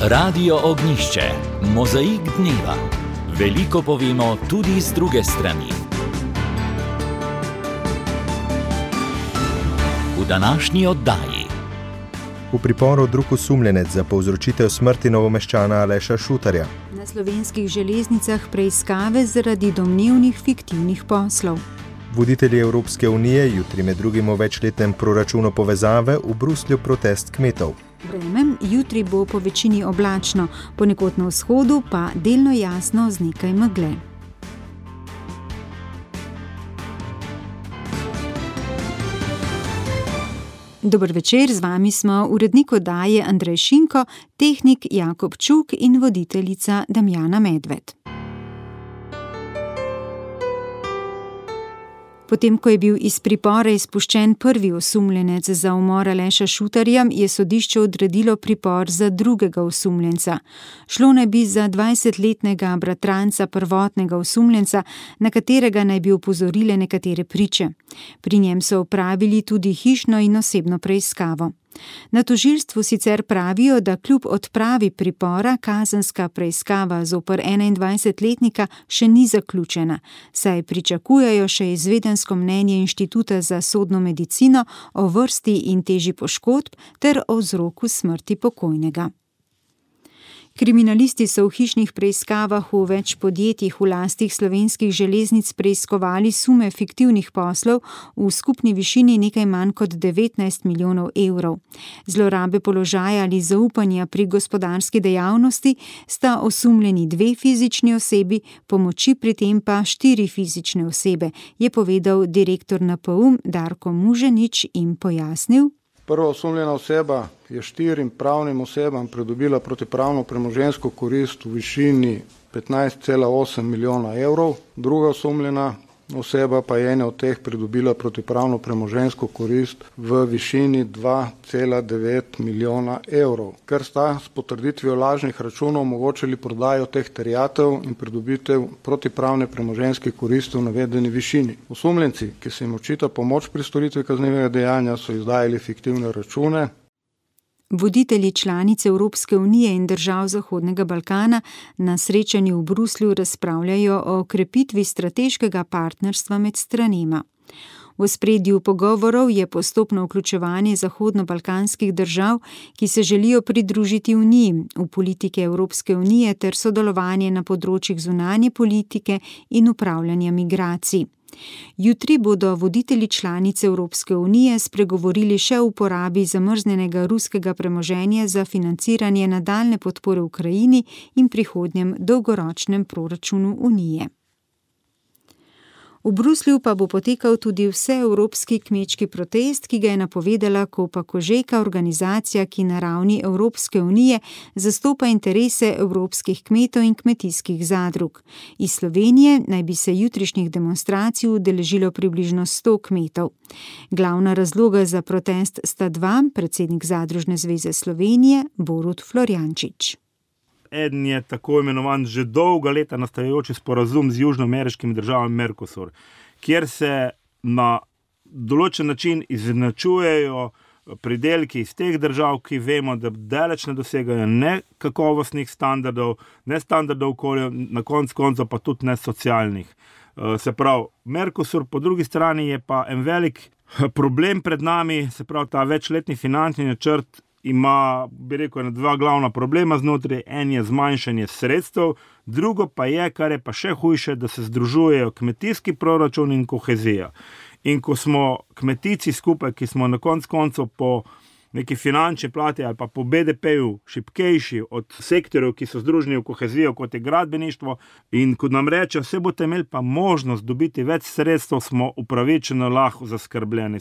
Radio Ognjišče, mozaik dneva. Veliko povemo tudi z druge strani. V današnji oddaji. V priporu drug osumljenec za povzročitev smrti Novomeščana Aleša Šutarja. Na slovenskih železnicah preiskave zaradi domnevnih fiktivnih poslov. Voditelji Evropske unije jutri med drugim o večletnem proračunu povezave v Bruslju protest kmetov. Vreme jutri bo po večini oblačno, ponekod na vzhodu pa delno jasno z nekaj megle. Dober večer, z vami smo urednik oddaje Andrej Šinko, tehnik Jakob Čuk in voditeljica Damjana Medved. Potem, ko je bil iz pripora izpuščen prvi osumljenec za umor Aleša Šutarja, je sodišče odredilo pripor za drugega osumljenca. Šlo naj bi za 20-letnega bratranca prvotnega osumljenca, na katerega naj bi opozorile nekatere priče. Pri njem so opravili tudi hišno in osebno preiskavo. Na tožilstvu sicer pravijo, da kljub odpravi pripora kazenska preiskava zoper 21-letnika še ni zaključena, saj pričakujejo še izvedensko mnenje Inštituta za sodno medicino o vrsti in teži poškodb ter o vzroku smrti pokojnega. Kriminalisti so v hišnih preiskavah v več podjetjih v lastih slovenskih železnic preiskovali sume fiktivnih poslov v skupni višini nekaj manj kot 19 milijonov evrov. Zlorabe položaja ali zaupanja pri gospodarski dejavnosti sta osumljeni 2 fizični osebi, pomoči pri tem pa 4 fizične osebe, je povedal direktor NPU Darko Muženič in pojasnil. Prva osumljena oseba je 4 pravnim osebam pridobila protipravno premoženjsko korist v višini 15,8 milijona evrov. Druga osumljena oseba pa je ena od teh pridobila protipravno premoženjsko korist v višini 2,9 milijona evrov, ker sta s potrditvijo lažnih računov omogočili prodajo teh terjatev in pridobitev protipravne premoženjske koristi v navedeni višini. Osumljenci, ki se jim očita pomoč pri storitvi kaznivega dejanja, so izdajali fiktivne račune. Voditelji članic Evropske unije in držav Zahodnega Balkana na srečanju v Bruslju razpravljajo o krepitvi strateškega partnerstva med stranema. V ospredju pogovorov je postopno vključevanje zahodnobalkanskih držav, ki se želijo pridružiti Uniji, v politike Evropske unije ter sodelovanje na področjih zunanje politike in upravljanja migracij. Jutri bodo voditelji članic Evropske unije spregovorili še o uporabi zamrznjenega ruskega premoženja za financiranje nadaljnje podpore Ukrajini in prihodnjem dolgoročnem proračunu Unije. V Bruslju pa bo potekal tudi vseevropski kmečki protest, ki ga je napovedala Copa Cogeca, organizacija, ki na ravni Evropske unije zastopa interese evropskih kmetov in kmetijskih zadrug. Iz Slovenije naj bi se jutrišnjih demonstracij udeležilo približno 100 kmetov. Glavna razloga za protest sta 2, predsednik Zadružne zveze Slovenije Borut Florjančič. Eden je tako imenovan že dolga leta nastajajoči sporazum z južnoameriškimi državami Mercosur, kjer se na določen način izenačujejo pridelki iz teh držav, ki vemo, da daleč ne dosegajo ne kakovostnih standardov, ne standardov okolja, na koncu koncev pa tudi ne socialnih. Se pravi, Mercosur po drugi strani je pa en velik problem pred nami, se pravi, ta večletni finančni načrt ima, bi rekel, 2 glavna problema znotraj. En je zmanjšanje sredstev, drugo pa je, kar je pa še hujše, da se združujejo kmetijski proračun in kohezija. In ko smo kmetici skupaj, ki smo na koncu koncev po neki finančni plati ali pa po BDP-ju šibkejši od sektorjev, ki so združeni v kohezijo, kot je gradbeništvo, in ko nam reče, vse boste imeli pa možnost dobiti več sredstev, smo upravičeno lahko zaskrbljeni.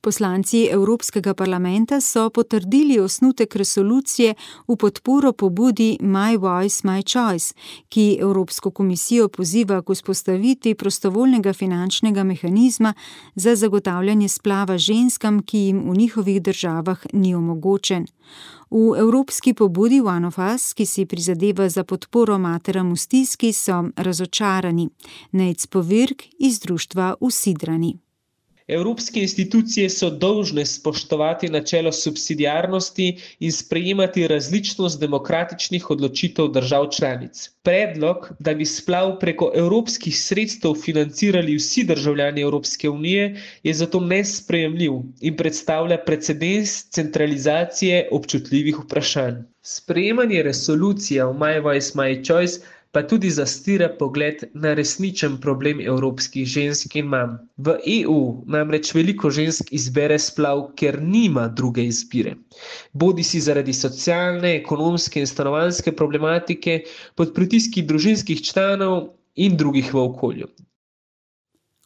Poslanci Evropskega parlamenta so potrdili osnutek resolucije v podporo pobudi My Voice, My Choice, ki Evropsko komisijo poziva k vzpostavitvi prostovoljnega finančnega mehanizma za zagotavljanje splava ženskam, ki jim v njihovih državah ni omogočen. V evropski pobudi One of Us, ki si prizadeva za podporo materam v stiski, so razočarani. Nejc Povirk iz društva Usidrani. Evropske institucije so dolžne spoštovati načelo subsidiarnosti in sprejemati različnost demokratičnih odločitev držav članic. Predlog, da bi splav preko evropskih sredstev financirali vsi državljani Evropske unije, je zato nesprejemljiv in predstavlja precedens centralizacije občutljivih vprašanj. Sprejemanje resolucije o My Voice, My Choice pa tudi zastira pogled na resničen problem evropskih žensk in mam. V EU namreč veliko žensk izbere splav, ker nima druge izbire. Bodisi zaradi socialne, ekonomske in stanovanjske problematike, pod pritiski družinskih članov in drugih v okolju.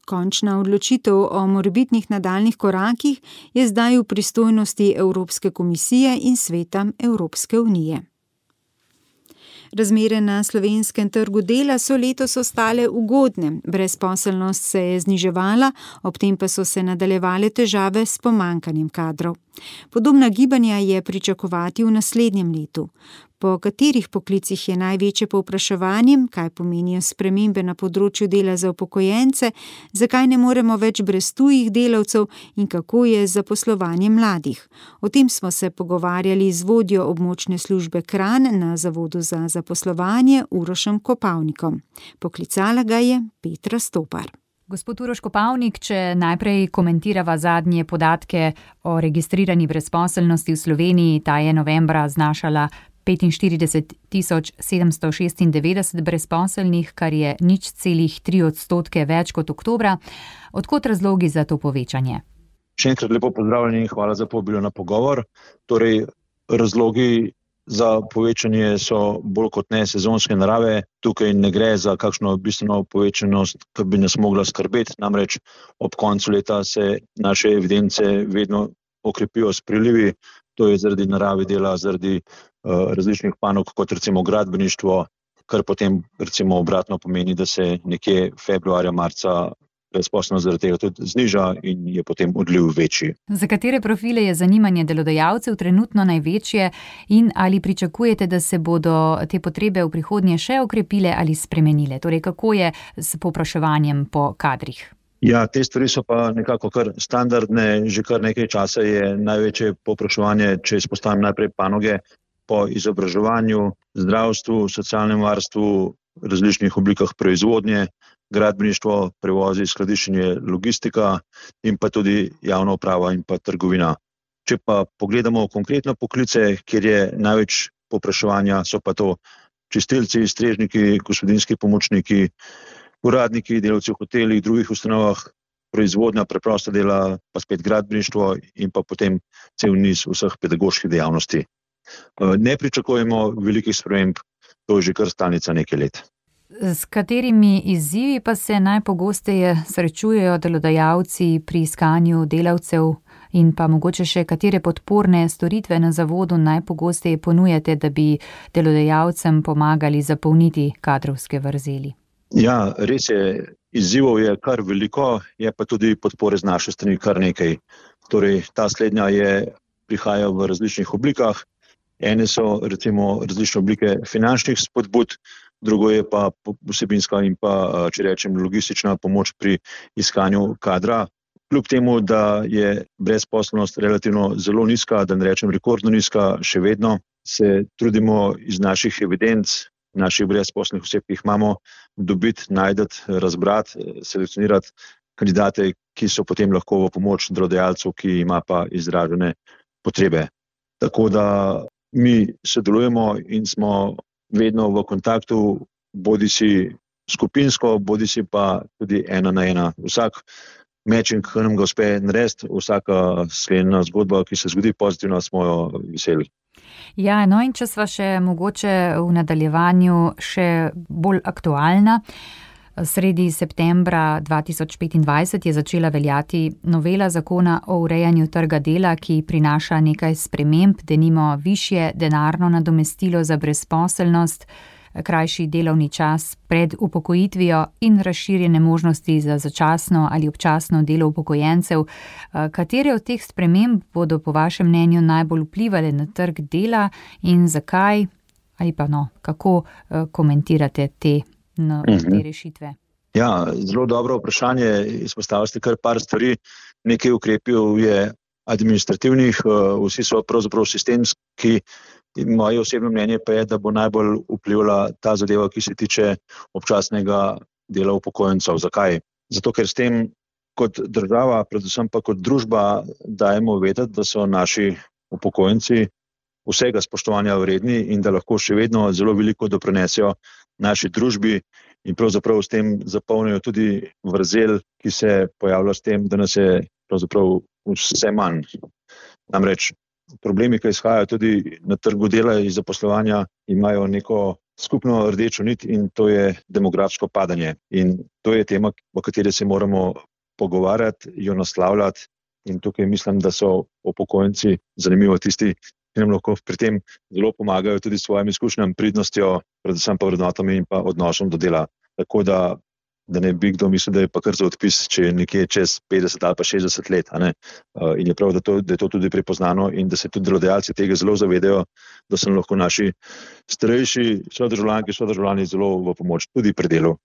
Končna odločitev o morebitnih nadaljnjih korakih je zdaj v pristojnosti Evropske komisije in Sveta Evropske unije. Razmere na slovenskem trgu dela so letos ostale ugodne, brezposelnost se je zniževala, ob tem pa so se nadaljevale težave s pomanjkanjem kadrov. Podobna gibanja je pričakovati v naslednjem letu. Po katerih poklicih je največje povpraševanje, kaj pomenijo spremembe na področju dela za upokojence, zakaj ne moremo več brez tujih delavcev in kako je z zaposlovanjem mladih. O tem smo se pogovarjali z vodjo območne službe Kranj na Zavodu za zaposlovanje Urošem Kopavnikom. Poklicala ga je Petra Stopar. Gospod Uroš Kopavnik, če najprej komentirava zadnje podatke o registrirani brezposelnosti v Sloveniji, ta je novembra znašala 45.796 brezposelnih, kar je 0,3% več kot oktobra. Odkot razlogi za to povečanje? Še enkrat lepo pozdravljeni in hvala za povabilo na pogovor. Torej, razlogi za povečanje so bolj kot ne sezonske narave. Tukaj ne gre za kakšno bistveno povečanost, ki bi nas mogla skrbeti. Namreč ob koncu leta se naše evidence vedno okrepijo s prilivi. To je zaradi narave dela, zaradi različnih panog, kot recimo gradbeništvo, kar potem recimo obratno pomeni, da se nekje februarja, marca brezposelnost zaradi tega tudi zniža in je potem odliv večji. Za katere profile je zanimanje delodajalcev trenutno največje in ali pričakujete, da se bodo te potrebe v prihodnje še okrepile ali spremenile? Torej, kako je s povpraševanjem po kadrih? Ja, te stvari so pa nekako kar standardne. Že kar nekaj časa je največje povpraševanje, če izpostavim najprej panoge, po izobraževanju, zdravstvu, socialnem varstvu, različnih oblikah proizvodnje, gradbeništvo, prevozi, skladiščenje, logistika in pa tudi javna uprava in pa trgovina. Če pa pogledamo konkretno poklice, kjer je največ povpraševanja, so pa to čistilci, strežniki, gospodinjski pomočniki, uradniki, delavci v hotelih, drugih ustanovah, proizvodnja, preprosta dela, pa spet gradbeništvo in pa potem cel niz vseh pedagoških dejavnosti. Ne pričakujemo velikih sprememb, to je že kar stalnica nekaj let. S katerimi izzivi pa se najpogosteje srečujejo delodajalci pri iskanju delavcev in pa mogoče še katere podporne storitve na zavodu najpogosteje ponujate, da bi delodajalcem pomagali zapolniti kadrovske vrzeli? Ja, res je, izzivov je kar veliko, je pa tudi podpore z naše strani kar nekaj. Torej, ta slednja prihaja v različnih oblikah. Ene so recimo različne oblike finančnih spodbud, drugo je pa vsebinska in pa, če rečem, logistična pomoč pri iskanju kadra. Kljub temu, da je brezposelnost relativno zelo nizka, da ne rečem rekordno nizka, še vedno se trudimo iz naših evidenc, naših brezposelnih oseb, ki jih imamo, dobiti, najti, razbrati, selekcionirati kandidate, ki so potem lahko v pomoč delodajalcu, ki ima pa izražene potrebe. Tako da mi sodelujemo in smo vedno v kontaktu, bodisi skupinsko, bodisi pa tudi ena na ena. Vsak matching, ki nam ga uspe narediti, vsaka sklenjena zgodba, ki se zgodi pozitivno, smo jo veseli. Ja, no in če sva še mogoče v nadaljevanju še bolj aktualna. Sredi septembra 2025 je začela veljati novela zakona o urejanju trga dela, ki prinaša nekaj sprememb, denimo višje denarno nadomestilo za brezposelnost, krajši delovni čas pred upokojitvijo in razširjene možnosti za začasno ali občasno delo upokojencev. Katere od teh sprememb bodo po vašem mnenju najbolj vplivale na trg dela in zakaj ali pa kako komentirate te rešitve? Ja, zelo dobro vprašanje, izpostavili ste kar par stvari. nekaj ukrepov je administrativnih, vsi so pravzaprav sistemski. Moje osebno mnenje pa je, da bo najbolj vplivala ta zadeva, ki se tiče občasnega dela upokojencev. Zakaj? Zato, ker s tem kot država, predvsem pa kot družba dajemo vedeti, da so naši upokojenci vsega spoštovanja vredni in da lahko še vedno zelo veliko doprinesejo naši družbi in pravzaprav s tem zapolnijo tudi vrzel, ki se pojavlja s tem, da nas je pravzaprav vse manj. Namreč problemi, ki izhajajo tudi na trgu dela in zaposlovanja, imajo neko skupno rdečo nit in to je demografsko padanje. In to je tema, o kateri se moramo pogovarjati, jo naslavljati in tukaj mislim, da so upokojenci zanimivo tisti, ki nam lahko pri tem zelo pomagajo tudi s svojimi izkušnjami, pridnostjo, predvsem pa vrednotami in pa odnosom do dela. Tako da ne bi kdo mislil, da je pa kar za odpis, če je nekje čez 50 ali pa 60 let. In je prav, da je to tudi prepoznano in da se tudi delodajalci tega zelo zavedajo, da so lahko naši starejši sodržavljanke, sodržavljani zelo v pomoč tudi pri delu.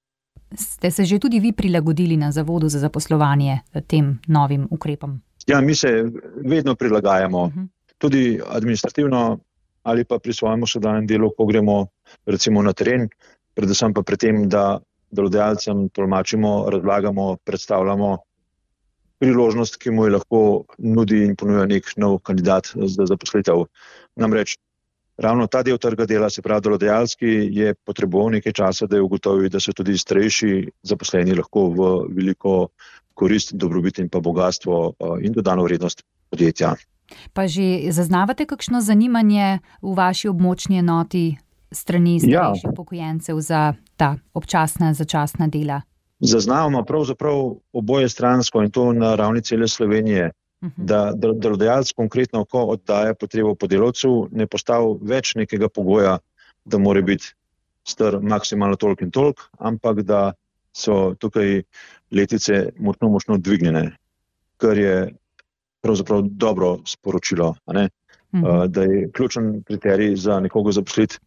Ste se že tudi vi prilagodili na Zavodu za zaposlovanje tem novim ukrepom? Ja, mi se vedno prilagajamo. Tudi administrativno ali pa pri svojem vsakdanjem delu, ko gremo recimo na teren, predvsem pa pri tem, da delodajalcem tolmačimo, razlagamo, predstavljamo priložnost, ki mu je lahko nudi in ponuja nek nov kandidat za zaposlitev. Namreč ravno ta del trga dela, se pravi delodajalski, je potreboval nekaj časa, da je ugotovil, da so tudi starejši zaposleni lahko v veliko korist, dobrobit in pa bogatstvo in dodano vrednost podjetja. Pa že zaznavate kakšno zanimanje v vaši območni enoti strani starejših upokojencev za ta občasna, začasna dela? Zaznavamo pravzaprav oboje stransko in to na ravni cele Slovenije, da delodajalec konkretno, ko oddaja potrebo po delavcu, ne postavi več nekega pogoja, da mora biti star maksimalno toliko in toliko, ampak da so tukaj letice močno dvignjene, kar je pravzaprav dobro sporočilo, da je ključen kriterij za nekoga zaposliti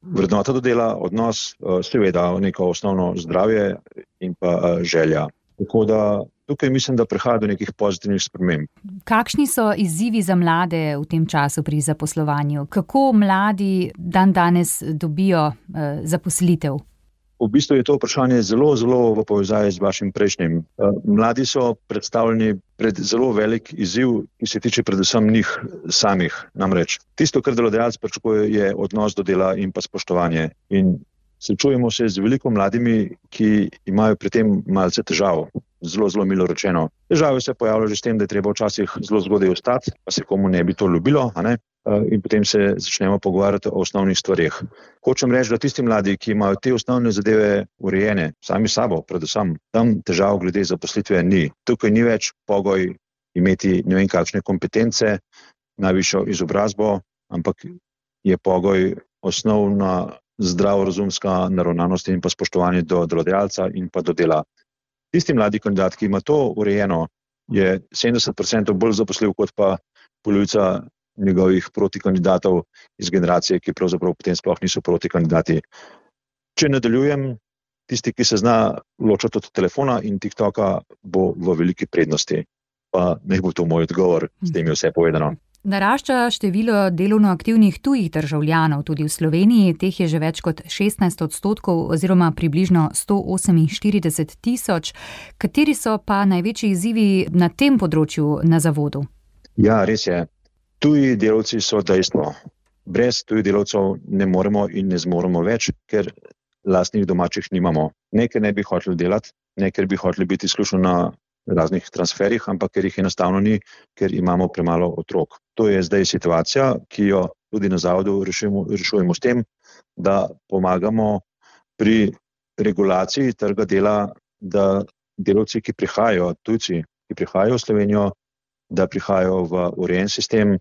vrednota do dela, odnos, seveda neko osnovno zdravje in pa želja. Tako da tukaj mislim, da prihaja do nekih pozitivnih sprememb. Kakšni so izzivi za mlade v tem času pri zaposlovanju? Kako mladi danes dobijo zaposlitev? V bistvu je to vprašanje zelo v povezavi z vašim prejšnjim. Mladi so predstavljeni pred zelo velik izziv, ki se tiče predvsem njih samih. Namreč tisto, kar delodajalec pričakuje, je odnos do dela in pa spoštovanje. In srečujemo se z veliko mladimi, ki imajo pri tem malce težav. Zelo milo rečeno. Težave se pojavljajo že s tem, da je treba včasih zelo zgodaj vstati, pa se komu ne bi to ljubilo, in potem se začnemo pogovarjati o osnovnih stvareh. Hočem reči, da tisti mladi, ki imajo te osnovne zadeve urejene, sami sabo, predvsem, tam težav glede zaposlitve ni. Tukaj ni več pogoj imeti ne vem kakšne kompetence, najvišjo izobrazbo, ampak je pogoj osnovna zdravorazumska naravnanost in pa spoštovanje do delodajalca in pa do dela. Tisti mladi kandidat, ki ima to urejeno, je 70% bolj zaposljiv kot pa polovica njegovih protikandidatov iz generacije, ki pravzaprav potem sploh niso protikandidati. Če nadaljujem, tisti, ki se zna ločati od telefona in TikToka, bo v veliki prednosti. Pa naj bo to moj odgovor, s tem je vse povedano. Narašča število delovno aktivnih tujih državljanov, tudi v Sloveniji, teh je že več kot 16% oziroma približno 148 tisoč. Kateri so pa največji izzivi na tem področju na zavodu? Ja, res je. Tuji delavci so dejstvo. Brez tujih delavcev ne moremo in ne zmoremo več, ker lastnih domačih nimamo. Ne, ker ne bi hoteli delati, ne, ker bi hoteli biti izključno na raznih transferih, ampak ker jih enostavno ni, ker imamo premalo otrok. To je zdaj situacija, ki jo tudi na zavodu rešujemo s tem, da pomagamo pri regulaciji trga dela, da delavci, ki prihajajo, tujci, ki prihajajo v Slovenijo, da prihajajo v urejen sistem,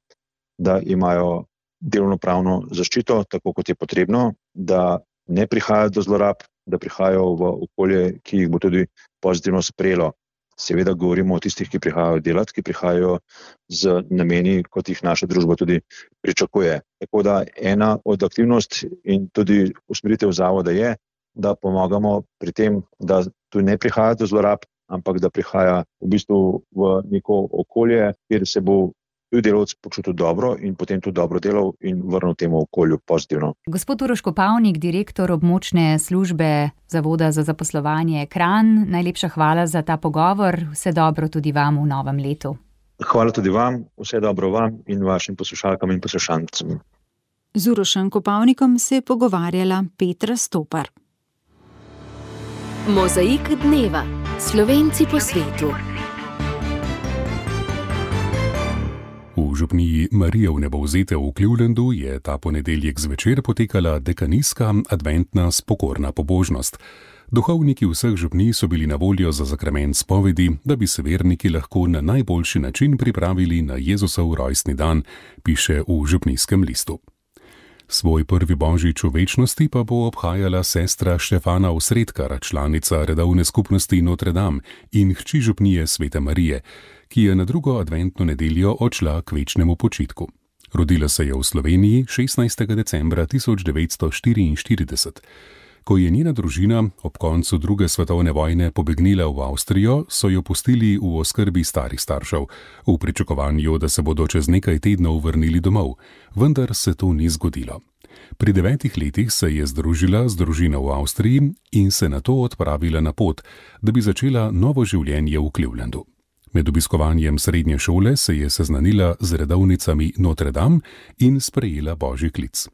da imajo delovnopravno zaščito, tako kot je potrebno, da ne prihajajo do zlorab, da prihajajo v okolje, ki jih bo tudi pozitivno sprejelo. Seveda govorimo o tistih, ki prihajajo delati, ki prihajajo z nameni, kot jih naša družba tudi pričakuje. Tako da ena od aktivnosti in tudi usmeritev zavoda je, da pomagamo pri tem, da tu ne prihaja do zlorab, ampak da prihaja v bistvu v neko okolje, kjer se bo tudi delavec počutil dobro in potem tudi dobro delal in vrnil temu okolju pozitivno. Gospod Uroš Kopavnik, direktor območne službe Zavoda za zaposlovanje Kranj, najlepša hvala za ta pogovor. Vse dobro tudi vam v novem letu. Hvala tudi vam, vse dobro vam in vašim poslušalkam in poslušancem. Z Urošem Kopavnikom se je pogovarjala Petra Stopar. Mozaik dneva. Slovenci po svetu. V župniji Marije Vnebovzete v Clevelandu je ta ponedeljek zvečer potekala dekanijska adventna spokorna pobožnost. Duhovniki vseh župnij so bili na voljo za zakrament spovedi, da bi se verniki lahko na najboljši način pripravili na Jezusov rojstni dan, piše v župnijskem listu. Svoj prvi božič v večnosti pa bo obhajala sestra Štefana Osredkar, članica redovne skupnosti Notre Dame in hči župnije Svete Marije, ki je na drugo adventno nedeljo odšla k večnemu počitku. Rodila se je v Sloveniji 16. decembra 1944. Ko je njena družina ob koncu druge svetovne vojne pobegnila v Avstrijo, so jo pustili v oskrbi starih staršev, v pričakovanju, da se bodo čez nekaj tednov vrnili domov, vendar se to ni zgodilo. Pri 9 letih se je združila z družino v Avstriji in se nato odpravila na pot, da bi začela novo življenje v Clevelandu. Med obiskovanjem srednje šole se je seznanila z redovnicami Notre Dame in sprejela božji klic.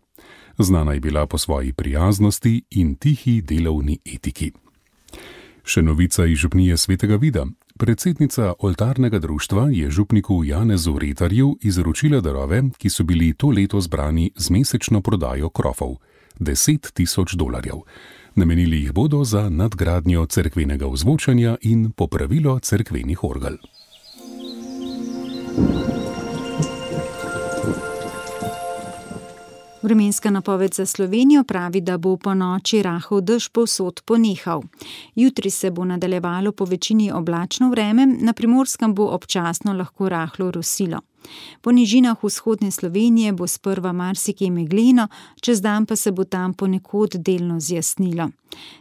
Znana je bila po svoji prijaznosti in tihi delovni etiki. Še novica iz župnije Svetega Vida. Predsednica oltarnega društva je župniku Janezu Retarju izročila darove, ki so bili to leto zbrani z mesečno prodajo krofov. $10,000. Namenili jih bodo za nadgradnjo cerkvenega ozvočanja in popravilo cerkvenih orgel. Vremenska napoved za Slovenijo pravi, da bo po noči rahel dež povsod ponehal. Jutri se bo nadaljevalo po večini oblačno vreme, na Primorskem bo občasno lahko rahlo rosilo. Po nižinah vzhodne Slovenije bo sprva marsikje megleno, čez dan pa se bo tam ponekod delno zjasnilo.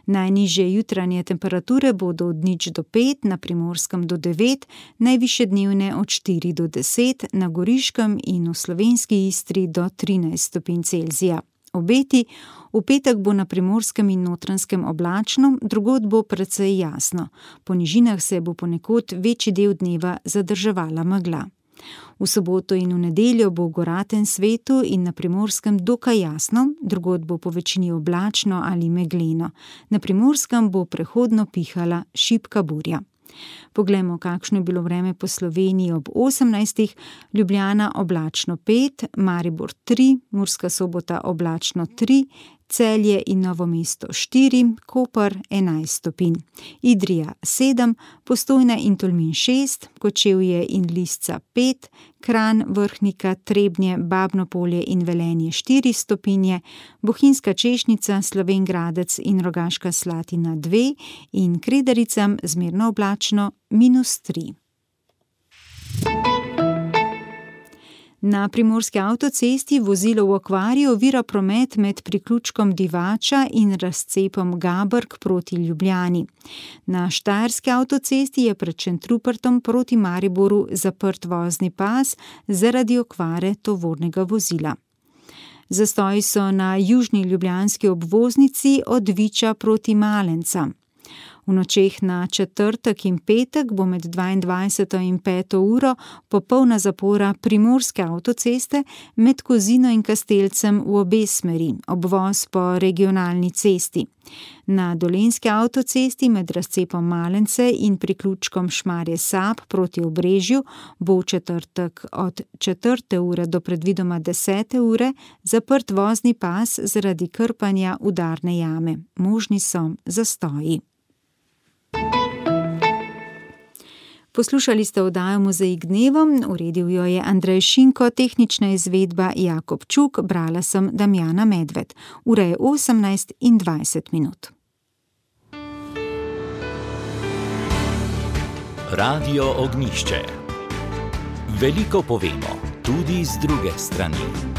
Najnižje jutranje temperature bodo od 0 do 5, na Primorskem do 9, najvišje dnevne od 4 do 10, na Goriškem in v slovenski Istri do 13 stopinj Celzija. Obeti: v petek bo na Primorskem in Notranjskem oblačno, drugod bo precej jasno. Po nižinah se bo ponekod večji del dneva zadrževala megla. V soboto in v nedeljo bo v goratem svetu in na Primorskem dokaj jasno, drugod bo po večini oblačno ali megleno. Na Primorskem bo prehodno pihala šibka burja. Poglejmo, kakšno je bilo vreme po Sloveniji ob 18. Ljubljana oblačno 5, Maribor 3, Murska Sobota oblačno 3, Celje in Novo mesto 4, Koper 11 stopinj, Idrija 7, Postojna in Tolmin 6, Kočevje in Lisca 5, Kranj, Vrhnika, Trebnje, Babno Polje in Velenje 4 stopinje, Bohinjska Češnica, Slovenj Gradec in Rogaška Slatina 2 in Kredericam zmerno oblačno -3. Na primorski avtocesti vozilo v okvarju ovira promet med priključkom Divača in razcepom Gabrk proti Ljubljani. Na štajerski avtocesti je pred Šentrupertom proti Mariboru zaprt vozni pas zaradi okvare tovornega vozila. Zastoji so na južni ljubljanski obvoznici od Viča proti Malencam. V nočeh na četrtek in petek bo med 22. in 5. uro popolna zapora primorske avtoceste med Kozino in Kastelcem v obe smeri, obvoz po regionalni cesti. Na dolenjski avtocesti med razcepom Malence in priključkom Šmarje Sap proti Obrežju bo v četrtek od 4. ure do predvidoma 10. ure zaprt vozni pas zaradi krpanja udarne jame. Možni so zastoji. Poslušali ste oddajo Mozaik dneva, uredil jo je Andrej Šinko, tehnična izvedba Jakob Čuk, brala sem Damjana Medved. Ura je 18:20. Radio Ognjišče. Veliko povemo, tudi z druge strani.